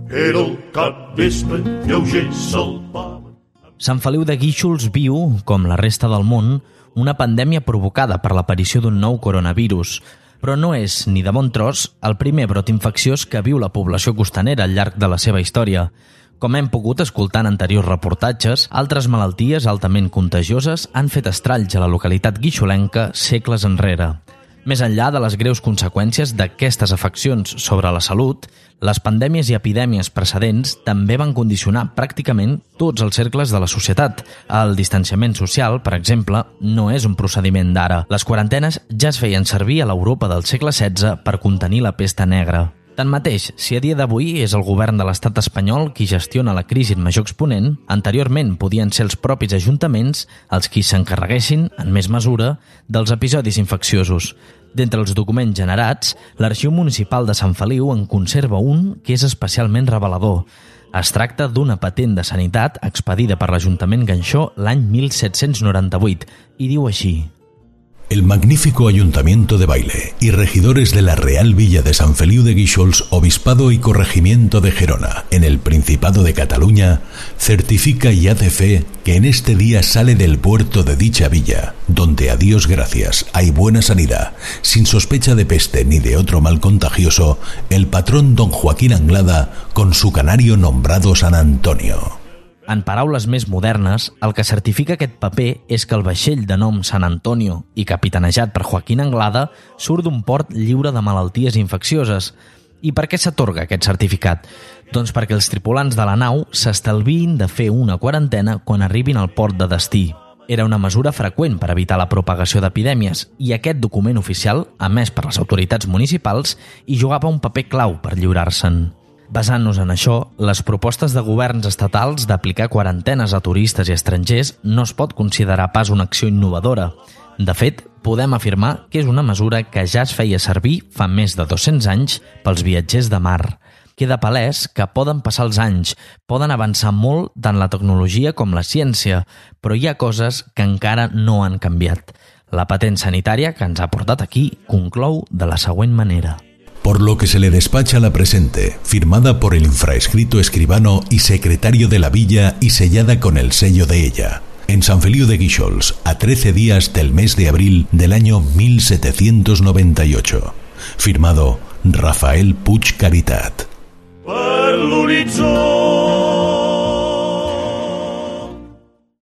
Era el capvespre, lleuger salpava. Sant Feliu de Guíxols viu, com la resta del món, una pandèmia provocada per l'aparició d'un nou coronavirus. Però no és, ni de bon tros, el primer brot infecciós que viu la població costanera al llarg de la seva història. Com hem pogut escoltar en anteriors reportatges, altres malalties altament contagioses han fet estralls a la localitat guixolenca segles enrere. Més enllà de les greus conseqüències d'aquestes afeccions sobre la salut, les pandèmies i epidèmies precedents també van condicionar pràcticament tots els cercles de la societat. El distanciament social, per exemple, no és un procediment d'ara. Les quarantenes ja es feien servir a l'Europa del segle XVI per contenir la pesta negra. Tanmateix, si a dia d'avui és el govern de l'estat espanyol qui gestiona la crisi en major exponent, anteriorment podien ser els propis ajuntaments els qui s'encarreguessin, en més mesura, dels episodis infecciosos. D'entre els documents generats, l'Arxiu Municipal de Sant Feliu en conserva un que és especialment revelador. Es tracta d'una patent de sanitat expedida per l'Ajuntament Ganxó l'any 1798 i diu així: El magnífico Ayuntamiento de Baile y regidores de la Real Villa de San Feliu de Guíxols, Obispado y Corregimiento de Gerona, en el Principado de Cataluña, certifica y hace fe que en este día sale del puerto de dicha villa, donde a Dios gracias hay buena sanidad, sin sospecha de peste ni de otro mal contagioso, el patrón don Joaquín Anglada, con su canario nombrado San Antonio. En paraules més modernes, el que certifica aquest paper és que el vaixell de nom Sant Antonio i capitanejat per Joaquín Anglada surt d'un port lliure de malalties infeccioses. I per què s'atorga aquest certificat? Doncs perquè els tripulants de la nau s'estalviïn de fer una quarantena quan arribin al port de destí. Era una mesura freqüent per evitar la propagació d'epidèmies i aquest document oficial, emès per les autoritats municipals, hi jugava un paper clau per lliurar-se'n. Basant-nos en això, les propostes de governs estatals d'aplicar quarantenes a turistes i estrangers no es pot considerar pas una acció innovadora. De fet, podem afirmar que és una mesura que ja es feia servir fa més de 200 anys pels viatgers de mar. Queda palès que poden passar els anys, poden avançar molt tant la tecnologia com la ciència, però hi ha coses que encara no han canviat. La patent sanitària que ens ha portat aquí conclou de la següent manera. Por lo que se le despacha la presente, firmada por el infraescrito escribano y secretario de la villa y sellada con el sello de ella, en San Feliu de Guíxols, a 13 días del mes de abril del año 1798. Firmado Rafael Puig Caritat. Per l'horitzó